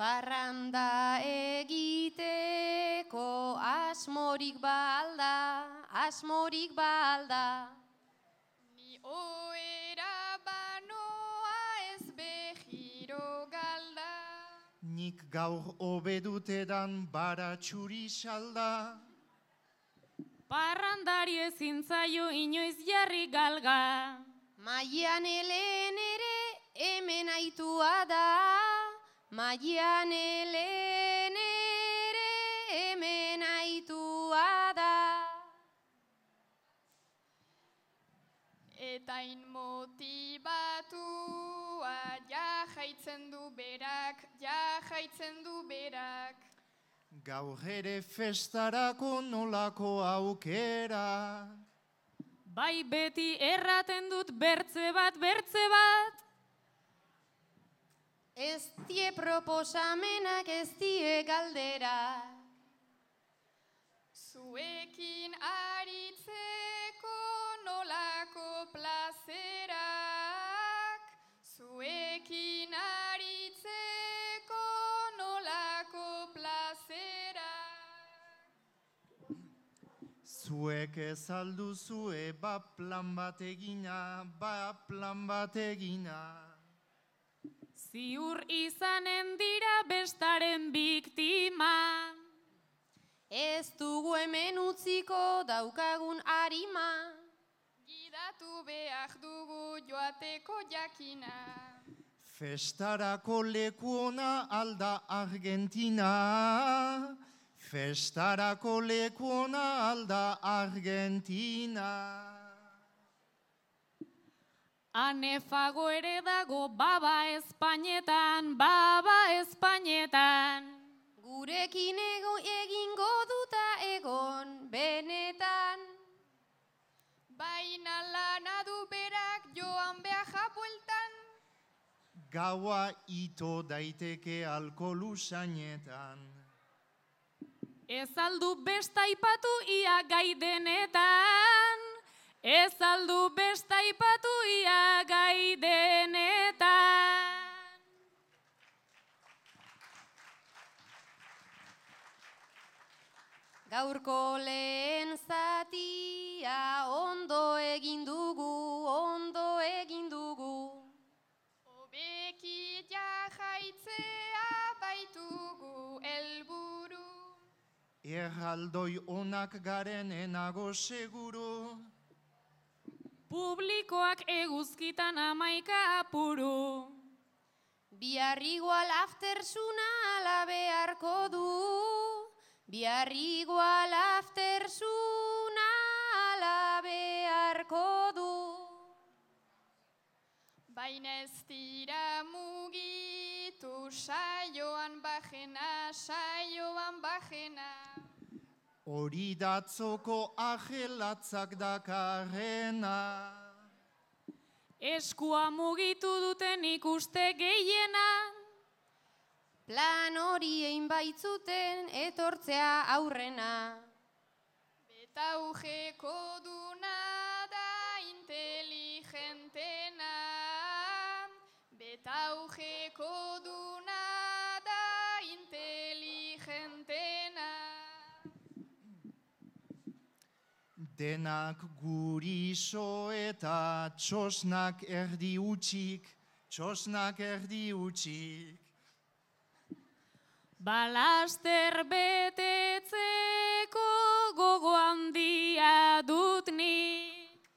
Parranda egiteko asmorik balda. Ni oera banoa ez behiro galda. Nik gaur obedutedan baratxuri salda. Parrandari ezin zaio inoiz jarri galga. Maian helen ere hemen aitua da. Maian helen ere hemen aitua da. Eta inmotibatua ja jaitzen du berak. Gaur ere festarako nolako aukera. Bai beti erraten dut bertze bat. Ez die proposamenak ez die galdera. Zuekin aritzeko nolako plazerak. Zuekin aritzeko nolako plazerak. Zuek ez alduzue plan bat egina. Ziur izanen dira bestaren biktima. Ez dugu hemen utziko daukagun arima. Gidatu behar dugu joateko jakina. Festarako leku ona alda Argentina. Festarako leku ona alda Argentina. Anefago ere dago baba Espainetan. Gurekin egingo duta egon benetan. Baina lana du berak joan behar bueltan. Gaua ito daiteke alkohol usainetan. Ez aldu besta ipatu ia gai denetan. Ez aldu besta ipatu ia gai denetan. Gaurko lehen zatia ondo egin dugu. Hobeki jaitzea baitugu helburu. Erraldoi onak garen enago seguru. Publikoak eguzkitan 11 apuru. Bihar igual aftersuna ala beharko du. Bihar igual aftersuna ala beharko du. Baina ez dira mugitu saioan bajena. Hori datzoko ajelatzak dakarrena. Eskua mugitu duten ikuste gehiena. Plan hori egin baitzuten etortzea aurrena. Betaujeko duna da inteligentena. Betaujeko duna da inteligentena. Denak guriso eta txosnak erdi utxik. Balaster betetzeko gogo handia dut nik.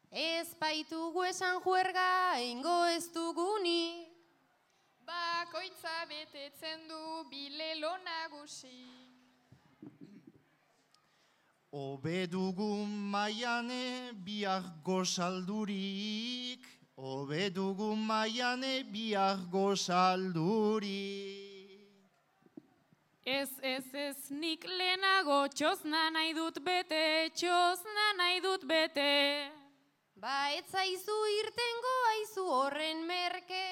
Ez baitugu esan juerga eingo ez dugunik. Bakoitza betetzen du bilelo nagusi. Obe dugu maiane bihar gozaldurik. Ez nik lehenago txosna nahi dut bete. Ba ez zaizu irtengo aizu horren merke.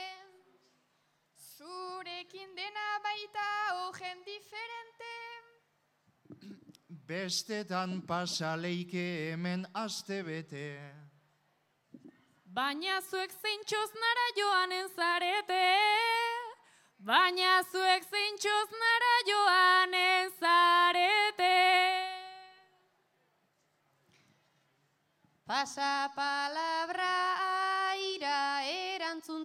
Zurekin dena baita ogen diferente. Bestetan pasaleike hemen aste bete. Baina zuek zein txosnara joanen zarete. baina zuek zeintxoz nara joan ezarete. Pasa palabra aira erantzun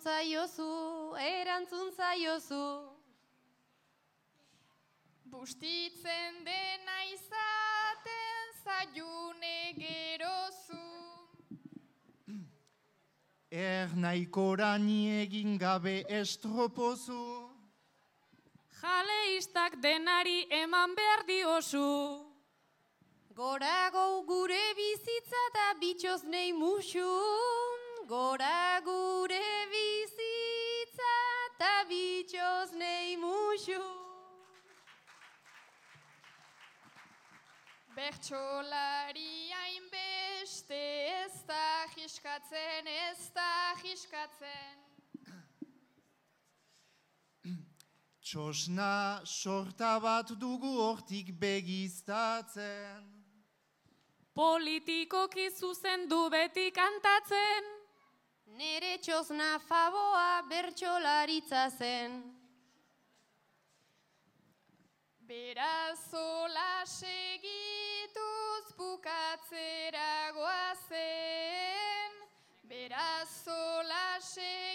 zaiozu. Bustitzen dena izaten zaiune gerozu. Nahikorani egin gabe estropozu. Jaleistak denari eman behar diozu. Gorago gure bizitza eta bitxoz nei musu. Gora gure bizitza eta bitxoz nei musu. Bertsolari hainbeste ez da jiskatzen. Txosna sorta bat dugu hortik begiztatzen. Politikoki zuzendu beti kantatzen. Nere txosna faboa bertsolaritza zen. Beraz zola segituz bukatzera goazen. Beraz zola segituz